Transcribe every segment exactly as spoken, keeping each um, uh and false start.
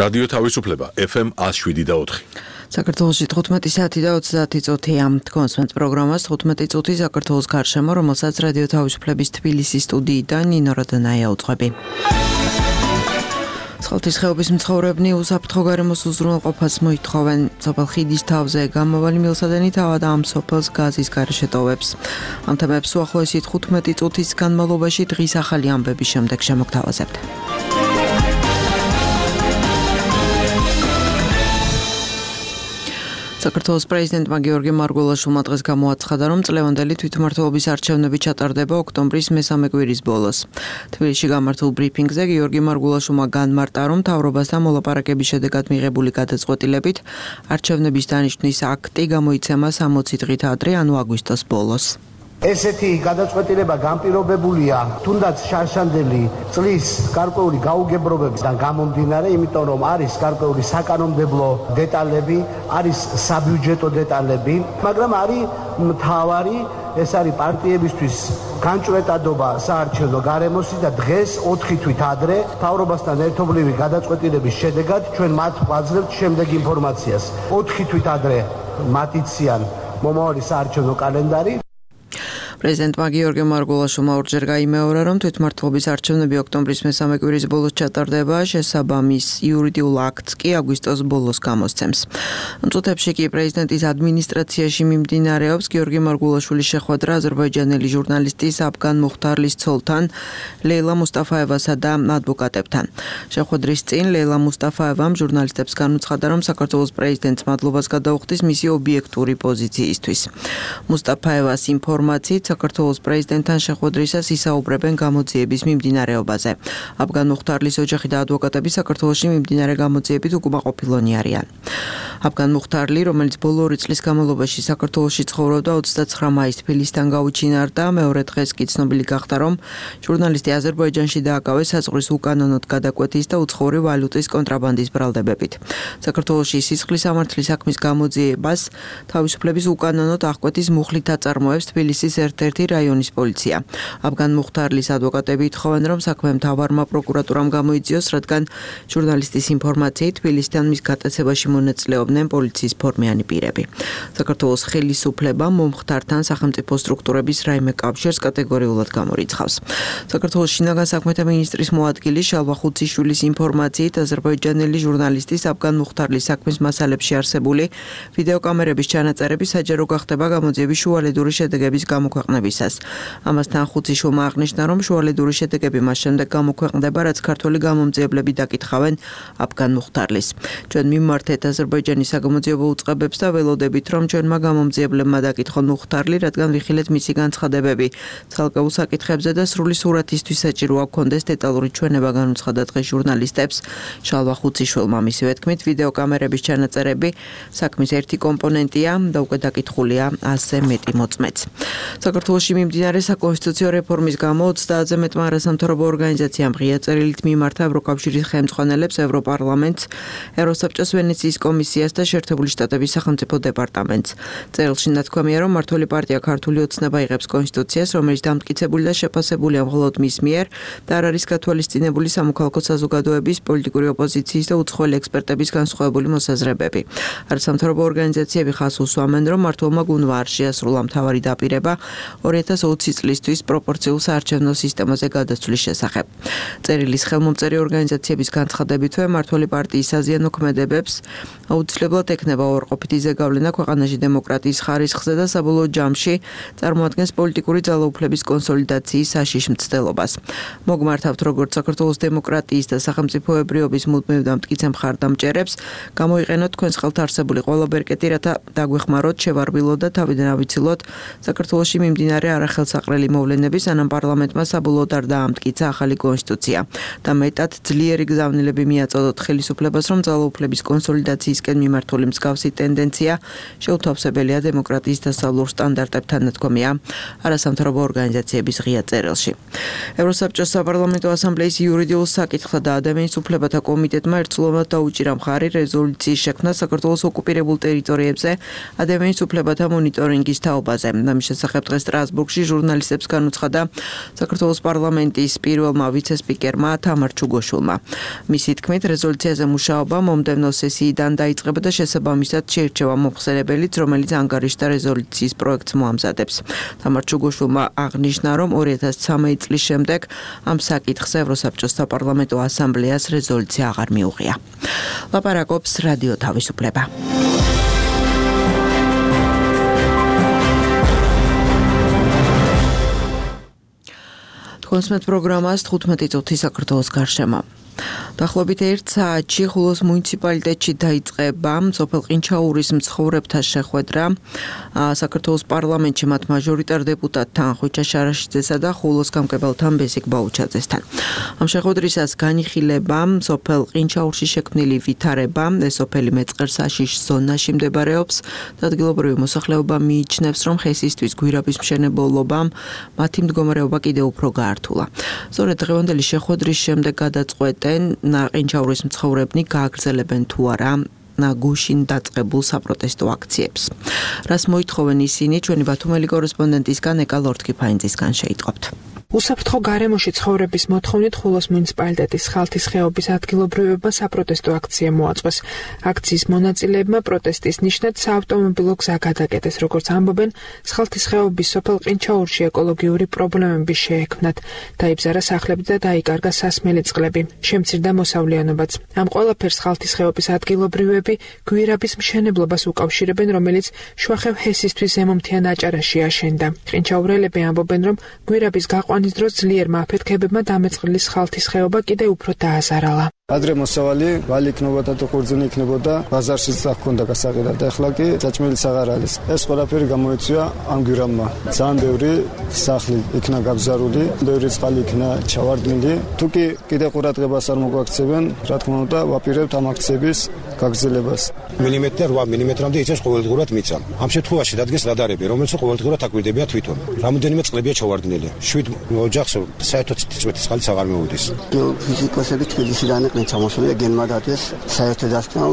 რადიო თავისუფლება ეფ ემ one oh seven და four. საქართველოში თხუთმეტი საათი და ოცდაათი წუთია. თქვენს პროგრამას თხუთმეტი წუთი საქართველოს გარშემო, რომელსაც რადიო თავისუფლების თბილისის სტუდიიდან ნინო როდანაია უძღვები. სხალთის ხეობის მცხოვრებნი უსაფრთხო გარემოს უზრუნველყოფას მოითხოვენ. სოფელ ხიდის თავზე გამავალი მილსადენი თავად ამ სოფელს გაზის გარეშე ტოვებს. ამ თემებს უახლოესი თხუთმეტი წუთის განმავლობაში დღის ახალი ამბების შემდეგ შემოგთავაზებთ. საქართველოს პრეზიდენტმა გიორგი მარგველაშვილმა დღეს გამოაცხადა, რომ წლევანდელი თვითმმართველობის არჩევნები ჩატარდება ოქტომბრის მესამე კვირის ბოლოს. თბილისში გამართულ ბრიფინგზე გიორგი მარგველაშვილმა განმარტა, რომ მთავრობასთან მოლაპარაკების შედეგად მიღებული გადაწყვეტილებით არჩევნების დანიშვნის აქტი გამოიცემა სამოცი დღით ადრე, ანუ აგვისტოს ბოლოს. ესეთი გადაწყვეტილება განპირობებულია თუნდაც შარშანდელი წლის გარკვეული გაუგებრობებიდან გამომდინარე, იმიტომ რომ არის გარკვეული საკანონმდებლო დეტალები, არის საბიუჯეტო დეტალები, მაგრამ არის მთავარი, ეს არის პარტიებისთვის განჭვრეტადობა საარჩევნო გარემოსი და დღეს ოთხი თვით ადრე მთავრობასთან ერთობლივი გადაწყვეტილების შედეგად ჩვენ მათ ვაძლევთ შემდეგ ინფორმაციას. ოთხი თვით ადრე მათ იციან მომავალი საარჩევნო კალენდარი. პრეზიდენტმა გიორგი მარგველაშვილმა ორჯერ გაიმეორა, რომ თვითმმართველობის არჩევნები ოქტომბრის მესამე კვირის ბოლოს ჩატარდება, შესაბამის იურიდიულ აქტს კი აგვისტოს ბოლოს გამოსცემს. ამ წუთებში კი პრეზიდენტის ადმინისტრაციაში მიმდინარეობს გიორგი მარგველაშვილის შეხვედრა აზერბაიჯანელი ჟურნალისტის აფგან მუხთარლის ცოლთან, ლეილა მუსტაფაევასა და ადვოკატებთან. შეხვედრის წინ ლეილა მუსტაფაევამ ჟურნალისტებს განუცხადა, რომ საქართველოს პრეზიდენტს მადლობას გადაუხდის მისი ობიექტური პოზიციისთვის. მუსტაფაევას ინფორმაციით საქართველოს პრეზიდენტთან შეხვედრისას ისაუბრებენ გამოძიების მიმდინარეობაზე. აფგან მუხთარლის ოჯახი და ადვოკატები საქართველოში მიმდინარე გამოძიებით უკმაყოფილონი არიან. აფგან მუხთარლი, რომელიც ბოლო ორი წლის განმავლობაში საქართველოში ცხოვრობდა, ოცდაცხრა მაისს თბილისიდან გაუჩინარდა, მეორე დღეს კი ცნობილი გახდა, რომ ჟურნალისტი აზერბაიჯანში დააკავეს საზღვრის უკანონოდ გადაკვეთის და უცხოური ვალუტის კონტრაბანდის ბრალდებებით. საქართველოში სისხლის სამართლის საქმის გამოძიებას თავისუფლების უკანონოდ აღკვეთის მუხლით აწარმოებს თბილისის ერთ-ერთი რაიონის პოლიცია. აფგან მუხთარლის ადვოკატები ითხოვენ, რომ საქმე მთავარმა პროკურატურამ გამოიძიოს, რადგან ჟურნალისტის ინფორმაციით თბილისთან მის გატაცებაში მონაწილეობდნენ პოლიციის ფორმიანი პირები. საქართველოს ხელისუფლებამ მომხდართან სახელმწიფო სტრუქტურების რაიმე კავშირს კატეგორიულად გამორიცხავს. საქართველოს შინაგან საქმეთა მინისტრის მოადგილის შალვა ხუციშვილის ინფორმაციით აზერბაიჯანელი ჟურნალისტის აფგან მუხთარლის საქმის მასალებში არსებული ვიდეოკამერების ჩანაწერები საჯარო გახდება გამოძიების შუალედური შედეგების გამოქვეყნებისას. ამასთან ხუციშვილმა აღნიშნა, რომ შუალედური შედეგები მას შემდეგ გამოქვეყნდება, რაც ქართველი გამომძიებლები დაკითხავენ აფგან მუხთარლის. ჩვენ მიმართეთ აზერბაიჯანის საგამოძიებო უწყებებს და ველოდებით, რომ ჩვენმა გამომძიებლებმა დაკითხონ მუხთარლი, რადგან ვიხილეთ მისი განცხადებები ცალკეულ საკითხებზე და სრული სურათისთვის საჭიროა გქონდეს დეტალური ჩვენება, განუცხადა დღეს ჟურნალისტებს შალვა ხუციშვილმა. მისივე თქმით, ვიდეოკამერების ჩანაწერები საქმის ერთი კომპონენტია და უკვე დაკითხულია ასზე მეტი მოწმეც. საქართველოში მიმდინარე საკონსტიტუციო რეფორმის გამო ოცდაათზე მეტმა არასამთავრობო ორგანიზაციამ ღია წერილით მიმართა ევროკავშირის ხელმძღვანელებს, ევროპარლამენტს, ევროსაბჭოს ვენეციის კომისიას და შეერთებული შტატების სახელმწიფო დეპარტამენტს. წერილში ნათქვამია, რომ მმართველი პარტია ქართული ოცნება იღებს კონსტიტუციას, რომელიც დამტკიცებული და შეფასებულია მხოლოდ მის მიერ და არ არის გათვალისწინებული სამოქალაქო საზოგადოების, პოლიტიკური ოპოზიციის და უცხოელი ექსპერტების განსხვავებული მოსაზრებები. არასამთავრობო ორგანიზაციები ხაზს უსვამენ, რომ მმართველმა გუნდმა არ შეასრულა მთავარი დაპირება ორი ათას ოცი წლისთვის პროპორციულ საარჩევნო სისტემაზე გადასვლის შესახებ. წერილის ხელმომწერი ორგანიზაციების განცხადებითვე მმართველი პარტიის საზიანო ქმედებებს აუცილებლად ექნება უარყოფითი ზეგავლენა ქვეყანაში დემოკრატიის ხარისხზე და საბოლოო ჯამში წარმოადგენს პოლიტიკური ძალაუფლების კონსოლიდაციის საშიშ მცდელობას. მოგმართავთ, როგორც საქართველოს დემოკრატიის და სახელმწიფოებრიობის მუდმივ და მტკიცე მხარდამჭერებს, გამოიყენოთ თქვენს ხელთ არსებული ყველა ბერკეტი, რათა დაგვეხმაროთ, შევარბილოთ და თავიდან ავიცილოთ საქართველოში მიმდინარე არახელსაყრელი მოვლენების, სანამ პარლამენტმა საბოლოოდ არ დაამტკიცა ახალი კონსტიტუცია და მეტად ძლიერი გზავნილები მიაწოდოთ ხელისუფლებას, რომ ძალაუფლების კონსოლიდაციისკენ მიმართული მსგავსი ტენდენცია შეუთავსებელია დემოკრატიის დასავლურ სტანდარტებთან ნათქვამია არასამთავრობო ორგანიზაციების ღია წერილში. ევროსაბჭოს საპარლამენტო ასამბლეის იურიდიულ საკითხთა და ადამიანის უფლებათა კომიტეტმა ერთსულოვნად დაუჭირა მხარი რეზოლუციის შექმნა საქართველოს ოკუპირებულ ტერიტორიებზე ადამიანის უფლებათა მონიტორინგის თაობაზე. ამის შესახებ დღეს სტრასბურგში ჟურნალისტებს განუცხადა საქართველოს პარლამენტის პირველმა ვიცე-სპიკერმა თამარ ჩუგოშვილმა. მისი თქმით, რეზოლუციაზე მუშაობა მომდევნო სესიიდან დაიწყება და შესაბამისად შეირჩევა მომხსენებელიც, რომელიც ანგარიშთა რეზოლუციის პროექტს მოამზადებს. თამარ ჩუგოშვილმა აღნიშნა, რომ ორი ათას ცხრამეტი წლის შემდეგ ამ საკითხზე ევროსაბჭოს საპარლამენტო ასამბლეას რეზოლუცია აღარ მიუღია. ლაპარაკობს რადიო თავისუფლება. კონსმეთ პროგრამას თხუთმეტი წუთი საქართველოს გარშემო. დაახლოებით ერთ საათში ხულოს მუნიციპალიტეტში დაიწყება სოფელ ყინჩაურის მცხოვრებთა შეხვედრა საქართველოს პარლამენტში მათ მაჟორიტარ დეპუტატთან ხვიჩა შარაშიძესა და ხულოს გამგებელთან ბესიკ ბაუჩაძესთან. ამ შეხვედრისას განიხილება სოფელ ყინჩაურში შექმნილი ვითარება, ეს სოფელი მეწყერსაშიშ ზონაში მდებარეობს და ადგილობრივი მოსახლეობა მიიჩნევს, რომ ხესისთვის გვირაბის მშენებლობამ მათი მდგომარეობა კიდევ უფრო გაართულა. სწორედ დღევანდელი შეხვედრის შემდეგ გადაწყვეტენ ყინჩაურის მცხოვრებნი გააგრძელებენ თუ არა გუშინ დაწყებულ საპროტესტო აქციებს. რას მოითხოვენ ისინი, ჩვენი ბათუმელი კორესპონდენტისგან ეკა ლორთქიფაინძისგან შეიტყობთ. უსაფრთხო გარემოში ცხოვრების მოთხოვნით ხულოს მუნიციპალიტეტის ხალთის ხეობის ადგილობრივებმა საპროტესტო აქცია მოაწყვეს. აქციის მონაწილეებმა პროტესტის ნიშნად საავტომობილო გზა გადაკეტეს, როგორც ამბობენ, ხალთის ხეობის სოფელ ყინჩაურში ეკოლოგიური პრობლემები შეექმნათ. დაიბზარა სახლები და დაიკარგა სასმელი წყლები. შემცირდა მოსავლიანობაც. ამ ყველაფერს ხალთის ხეობის ადგილობრივები გვირაბის მშენებლობას უკავშირებენ, რომელიც შუახევ ჰესისთვის ზემომთიან აჭარაში აშენდა. ყინჩაურელები ამბობენ, რომ გვირაბის გაყვანის დროს ძლიერმა აფეთქებებმა დამეწყრილი ხალთის ხეობა კიდევ უფრო დააზარალა. ადრე მოსავალი ვალი იქნებოდა და ყურძენი იქნებოდა, ბაზარშიც აღქონდა გასაყიდად. ეხლა კი საჭმელიც აღარ არის. ეს ყველაფერი გამოიწვია ამ გვირაბმა. ძალიან ბევრი სახლი იქნა გაბზარული, ბევრი წყალი იქნა ჩავარდნილი. თუ კი კიდე ყურადღებას არ მოგვაქცევენ, რა თქმა უნდა, ვაპირებთ ამ აქციების გაგრძელებას. მილიმეტრ რვა მილიმეტრამდე იწევს ყოველდღურად მიწა. ამ შემთხვევაში დადგეს რადარები, რომელიც ყოველდღურად აკვირდებიან თვითონ. რამოდენიმე წყლებია ჩავარდნილი. შვიდ ოჯახს საერთოდ წიწვეთის წყალიც აღარ მეუდის. ფიზიკოსები თბილისიდან იყვნენ ჩამოსული, გენმა დადეს საერთო დასკვნა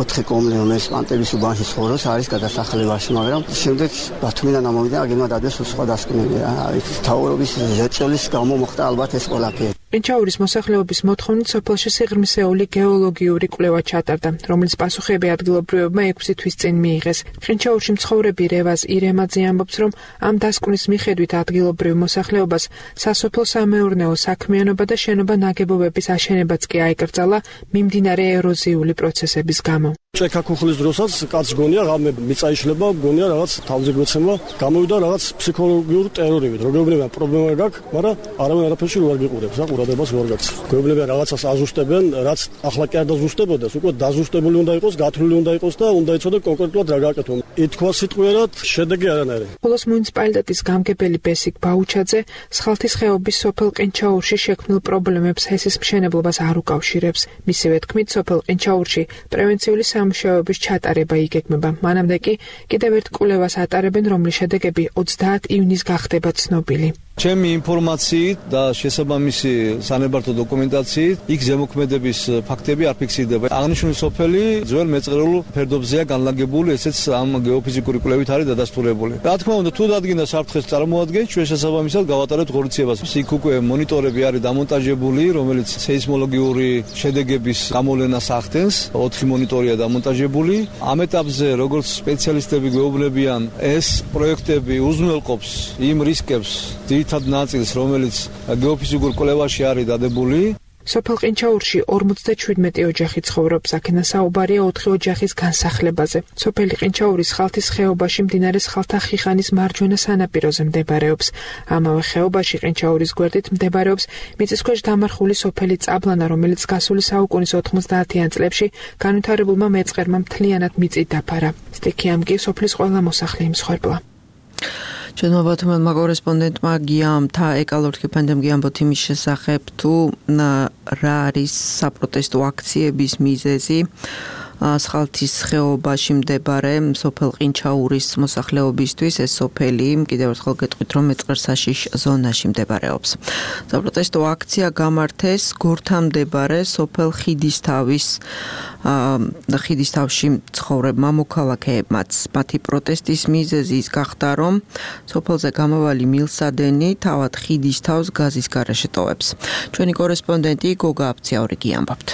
ოთხი კომლე, რომელიც პანტების უბანში ცხოვრობს, არის გადასახლებაში, მაგრამ შემდეგ ბათუმიდან ამოვიდა, გენმა დადეს სხვა დასკვნები. არის თავრობის ზეწოლის გამო მოხდა ალბათ ეს ყველაფერი. ყინჩაურის მოსახლეობის მოთხოვნით სოფელში სიღრმისეული გეოლოგიური კვლევა ჩატარდა, რომელიც პასუხები ადგილობრივებმა ექვსი თვის წინ მიიღეს. ყინჩაურში მცხოვრები რევაზ ირემაძე ამბობს, რომ ამ დასკვნის მიხედვით ადგილობრივ მოსახლეობას სასოფლო სამეურნეო საქმიანობა და შენობა ნაგებობების აშენებაც კი აიკრძალა მიმდინარე ეროზიული პროცესების გამო. ჭექა ქუხლის დროსაც კაც გონია ღამე მიწა იშლება, გონია რაღაც თავზე გვეცემა, გამოვიდა რაღაც ფსიქოლოგიურ ტერორივით. როგორებია პრობლემა გაქვს, მაგრამ არავინ არაფერში არ გიყურებს, რა ყურადღებას ვერ გაქვს. გვეუბნებიან რაღაცას აზუსტებენ, რაც ახლა კი არ დაზუსტებოდეს, უკვე დაზუსტებული უნდა იყოს, გათვლილი უნდა იყოს და უნდა იცოდე კონკრეტულად რა გააკეთო. ითქვა სიტყვიერად, შედეგი არანაირი. ხულოს მუნიციპალიტეტის გამგებელი ბესიკ ბაუჩაძე ხალთის ხეობის სოფელ ყინჩაურში შექმნილ პრობლემებს ჰესის მშენებლობას არ უკავშირებს. მისივე თქმით, სოფელ ყინჩაურში პრევენციული სამუშაოების ჩატარება იგეგმება. მანამდე კი კიდევ ერთ კვლევას ატარებენ, რომლის შედეგები ოცდაათი ივნის გახდება ცნობილი. ჩემი ინფორმაციით და შესაბამისი სანებართო დოკუმენტაციით იქ ზემოქმედების ფაქტები არ ფიქსირდება. აღნიშნული სოფელი ძველ მეწყრულ ფერდობზეა განლაგებული, ესეც ამ გეოფიზიკური კვლევით არის დადასტურებული. რა თქმა უნდა, თუ დადგინდა საფრთხეს წარმოადგენს, ჩვენ შესაბამისად გავატარებთ ღონისძიებას. იქ უკვე მონიტორები არის დამონტაჟებული, რომელიც სეისმოლოგიური შედეგების გამოვლენას ახდენს. ოთხი მონიტორია დამონტაჟებული. ამ ეტაპზე, როგორც სპეციალისტები გვეუბნებიან, ეს პროექტები უზრუნველყოფს იმ რისკებს, ძირითად ნაწილს, რომელიც გეოფიზიკურ კვლევაში არის დადებული. სოფელ ყინჩაურში ორმოცდაშვიდმეტი ოჯახი ცხოვრობს, აქედან საუბარია ოთხი ოჯახის განსახლებაზე. სოფელი ყინჩაურის ხალთის ხეობაში მდინარე ხალთა ხიხანის მარჯვენა სანაპიროზე მდებარეობს. ამავე ხეობაში ყინჩაურის გვერდით მდებარეობს მიწისქვეშ დამარხული სოფელი წაბლანა, რომელიც გასული საუკუნის ოთხმოცდაათიან წლებში განვითარებულმა მეწყერმა მთლიანად მიწით დაფარა. სტიქიამ კი სოფლის ყველა მოსახლე იმსხვერპლა. ჩვენმა ბათუმელმა კორესპონდენტმა გიამთა ეკალორთქიფანძემ გიამბოთ იმის შესახებ თუ რა არის საპროტესტო აქციების მიზეზი. სხალთის ხეობაში მდებარე სოფელ ყინჩაურის მოსახლეობისთვის ეს სოფელი კიდევ ერთხელ გეტყვით რომ მეწყერსაშიშ ზონაში მდებარეობს. საპროტესტო აქცია გამართეს გორთან მდებარე სოფელ ხიდისთავის ხიდისთავში ცხოვრებმა მოქალაქეებმაც. მათი პროტესტის მიზეზი ის გახდა რომ სოფელზე გამავალი მილსადენი თავად ხიდისთავს გაზის გარეშე ტოვებს. ჩვენი კორესპონდენტი გოგა აფციაურიგი ამბობთ.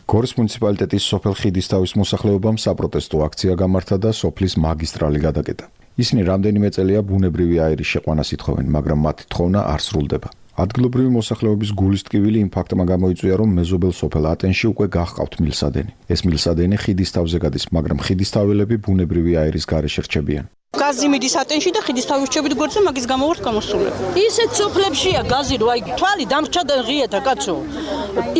გორის მუნიციპალიტეტის სოფელ ხიდისთავის მოსახლეობამ საპროტესტო აქცია გამართა და სოფლის მაგისტრალი გადაკეტა. ისინი რამდენიმე წელია ბუნებრივი აირის შეყვანას ითხოვენ, მაგრამ მათი თხოვნა არ სრულდება. ადგილობრივი მოსახლეობის გულის ტკივილი იმ ფაქტმა გამოიწვია, რომ მეზობელ სოფელ ატენში უკვე გახყავთ მილსადენი. ეს მილსადენი ხიდისთავზე გადის, მაგრამ ხიდისთაველები ბუნებრივი აირის გარეშე რჩებიან. გაზი მიდის ატენში და ხიდისთავი რჩებით გვერდზე, მაგის გამო ვართ გამოსულები. ისეთ სოფლებშია გაზი, რო აი თვალი დამრჩა და ღიეთა კაცო.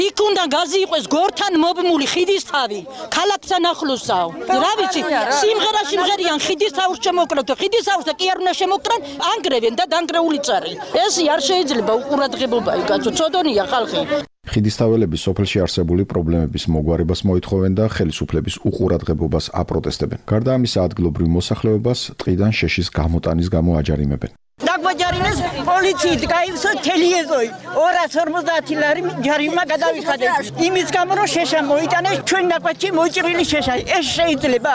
იქ უნდა გაზი იყოს გორთან მობმული ხიდისთავი, ქალაქთან ახლოსაო. რა ვიცი, სიმღერა სიმღერიან ხიდისთავს შემოკრათ, ხიდისთავს და კი არ უნდა შემოკრან, ანგრევენ და დანგრეული წარი. ეს არ შეიძლება უყურადღებობაა, კაცო, ცოდონია ხალხი. ხიდისთაველები სოფელში არსებული პრობლემების მოგვარებას მოითხოვენ და ხელისუფლების უყურადღებობას აპროტესტებენ. გარდა ამისა, ადგილობრივ მოსახლეობას ტყიდან შეშის გამოტანის გამო აჯარიმებენ. დაგვაჯარიმეს პოლიციით, გაივსო თელიეზოი. ორას ორმოცდაათი ლარი ჯარიმა გადავიხადეთ. იმის გამო რომ შეშა მოიტანეს ჩვენ ნაკვეთში მოჭრილი შეშა. ეს შეიძლება?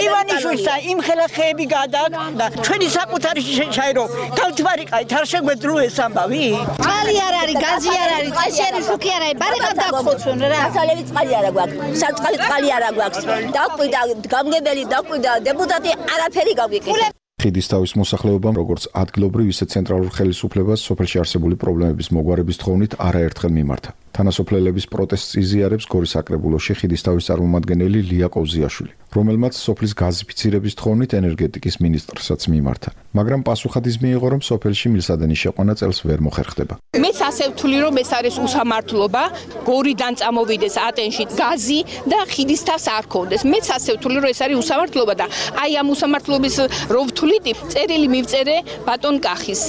ივანიშვილსა იმ ხელახეები გადააკდა. ჩვენი საკუთარი შეშაირო. გავთვარიყავით, არ შეგვეძლო ეს ამბავი. წყალი არ არის, გაზი არ არის, წაშერი შუქი არ არის. ბარეკად დაგხოცონ რა. დასავლები წყალი არ გვაქვს. საწყალი წყალი არ გვაქვს. დაკვიდა გამგებელი, დაკვიდა დეპუტატი, არაფერი გავიკეთე. ხიდისთავის მოსახლეობამ როგორც ადგილობრივ, ისე ცენტრალურ ხელისუფლებას სოფელში არსებული პრობლემების მოგვარების თხოვნით არაერთხელ მიმართა. თანასოფლელების პროტესტს იზიარებს გორის საკრებულოში ხიდისთავის წარმომადგენელი ლია კოვზიაშვილი, რომელმაც სოფლის გაზიფიცირების თხოვნით ენერგეტიკის მინისტრსაც მიმართა. მაგრამ პასუხად ის მიიღო, რომ სოფელში მილსადენის შეყვანა წელს ვერ მოხერხდება. მეც ასე ვთვლი, რომ ეს არის უსამართლობა, გორიდან წამოვიდეს ატენში გაზი და ხიდისთავს არ ქონდეს. მეც ასე ვთვლი, რომ ეს არის უსამართლობა და აი ამ უსამართლობის რო ვთვლით, წერილი მივწერე ბატონ კახის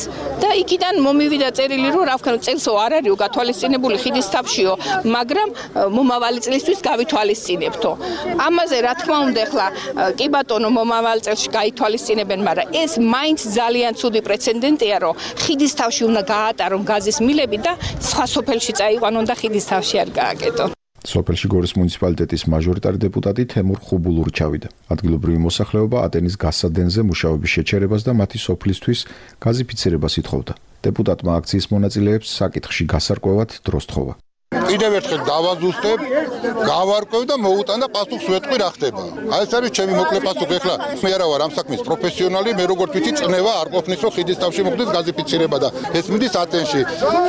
და იქიდან მომივიდა წერილი, რომ რა ვქნა, წელსო არ არისო გათვალისწინებული ხიდისთავშიო, მაგრამ მომავალი წლისთვის გავითვალისწინებთო. ამაზე რა თქმა უნდა, ახლა კი ბატონო მომავალ წელს გაითვალისწინებენ, მაგრამ ეს მაინც ძალიან ცუდი პრეცედენტია, რომ ხიდისთავში უნდა გაატარონ გაზის მილები და სხვა სოფელში წაიყვანონ და ხიდისთავში არ გააკეთონ. სოფელში გორის მუნიციპალიტეტის მაჟორიტარი დეპუტატი თემურ ხუბულური ჩავიდა. ადგილობრივი მოსახლეობა ატენის გასადენზე მუშაობის შეჩერებას და მათი სოფლისთვის გაზიფიცირებას ითხოვდა. დეპუტატმა აქციის მონაწილეებს საკითხში გასარკვევად დროს თხოვა. კიდევ ერთხელ დავაზუსტებ, გავარკვევ და მოუტან და პასუხს ვეტყვი რა ხდება. აი ეს არის ჩემი მოკლე პასუხი. ეხლა მე არა ვარ ამ საქმის პროფესიონალი, მე როგორც ვიცი, წნევა არ ყოფნის, რომ ხიდისთავში მოხდეს გაზიფიცირება და ეს მიდის ატენში.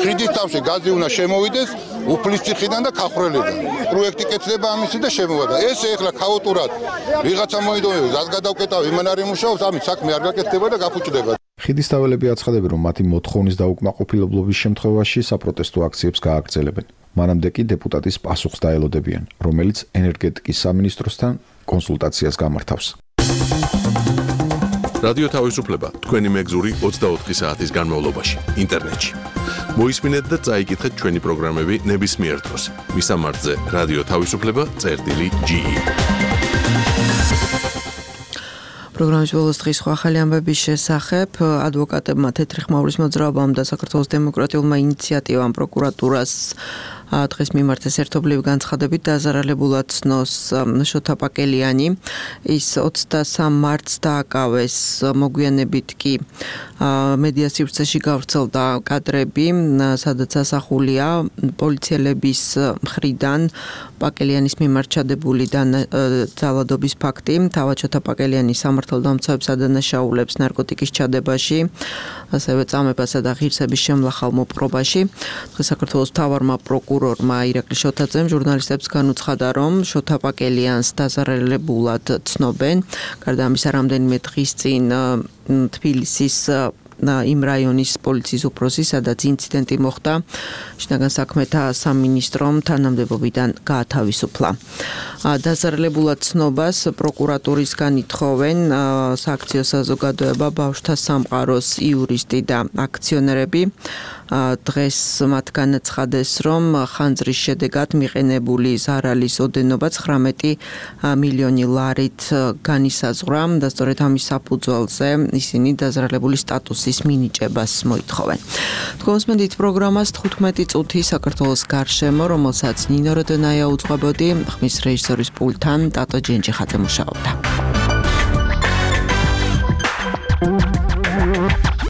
ხიდისთავში გაზი უნდა შემოვიდეს უფლისციხიდან და ქახრელიდან. პროექტი კეთდება ამისი და შემოვიდა. ეს ეხლა ქაოტურად ვიღაცა მოიდონება, გაზ გადავკეტავ, იმან არ იმუშაობს, ამით საქმე არ გაკეთდება და გაფუჭდება. ხიდისთაველები აცხადებენ, რომ მათი მოთხოვნის დაუკმაყოფილებლობის შემთხვევაში საპროტესტო აქციებს გააგრძელებენ. მანამდე კი დეპუტატის პასუხს დაელოდებიან, რომელიც ენერგეტიკის სამინისტროსთან კონსულტაციას გამართავს. რადიო თავისუფლება თქვენი მეგზური ოცდაოთხი საათის განმავლობაში ინტერნეტში. მოისმინეთ და წაიკითხეთ ჩვენი პროგრამები ნებისმიერ დროს. მისამართზე რადიო თავისუფლება წერტილი ჯი ი. პროგრამის ბოლოს დღის სხვა ახალი ამბების შესახებ ადვოკატებმა თეთრი ხმაურის მოძრაობამ და საქართველოს დემოკრატიულმა ინიციატივამ პროკურატურას დღეს მიმართეს ერთობლივი განცხადებით დაზარალებულად ცნოს შოთა პაკელიანი. ის ოცდასამ მარტს დააკავეს, მოგვიანებით კი მედია სივრცეში გავრცელდა კადრები, სადაც ასახულია პოლიციელების მხრიდან პაკელიანის მიმართ ჩადებული ძალადობის ფაქტი. თავად შოთა პაკელიანი სამართალდამცავებს ადანაშაულებს ნარკოტიკის ჩადებაში, ასევე წამებასა და ღირსების შემლახავ მოპყრობაში. დღეს საქართველოს მთავარმა პროკურორმა ირაკლი შოთაძემ ჟურნალისტებს განუცხადა, რომ შოთა პაკელიანს დაზარალებულად ცნობენ. გარდა ამისა, რამდენიმე დღის წინ თბილისის იმ რაიონის პოლიციის უფროსი, სადაც ინციდენტი მოხდა, შინაგან საქმეთა სამინისტრომ თანამდებობიდან გაათავისუფლა. დაზარალებულად ცნობას პროკურატურისგან ითხოვენ სააქციო საზოგადოება ბავშვთა სამყაროს იურისტი და აქციონერები. დღეს მათ განაცხადეს, რომ ხანძრის შედეგად მიყენებული ზარალის ოდენობა ცხრამეტი მილიონი ლარით განისაზღვრა და სწორედ ამის საფუძველზე ისინი დაზარალებული სტატუსის მინიჭებას მოითხოვენ. თქვენ უსმენთ პროგრამას თხუთმეტი წუთი საქართველოს გარშემო, რომელსაც ნინო როდონაია უძღვებოდი, ხმის რეჟისორის პულტთან ტატო ჯენჯიხაძე მუშაობდა.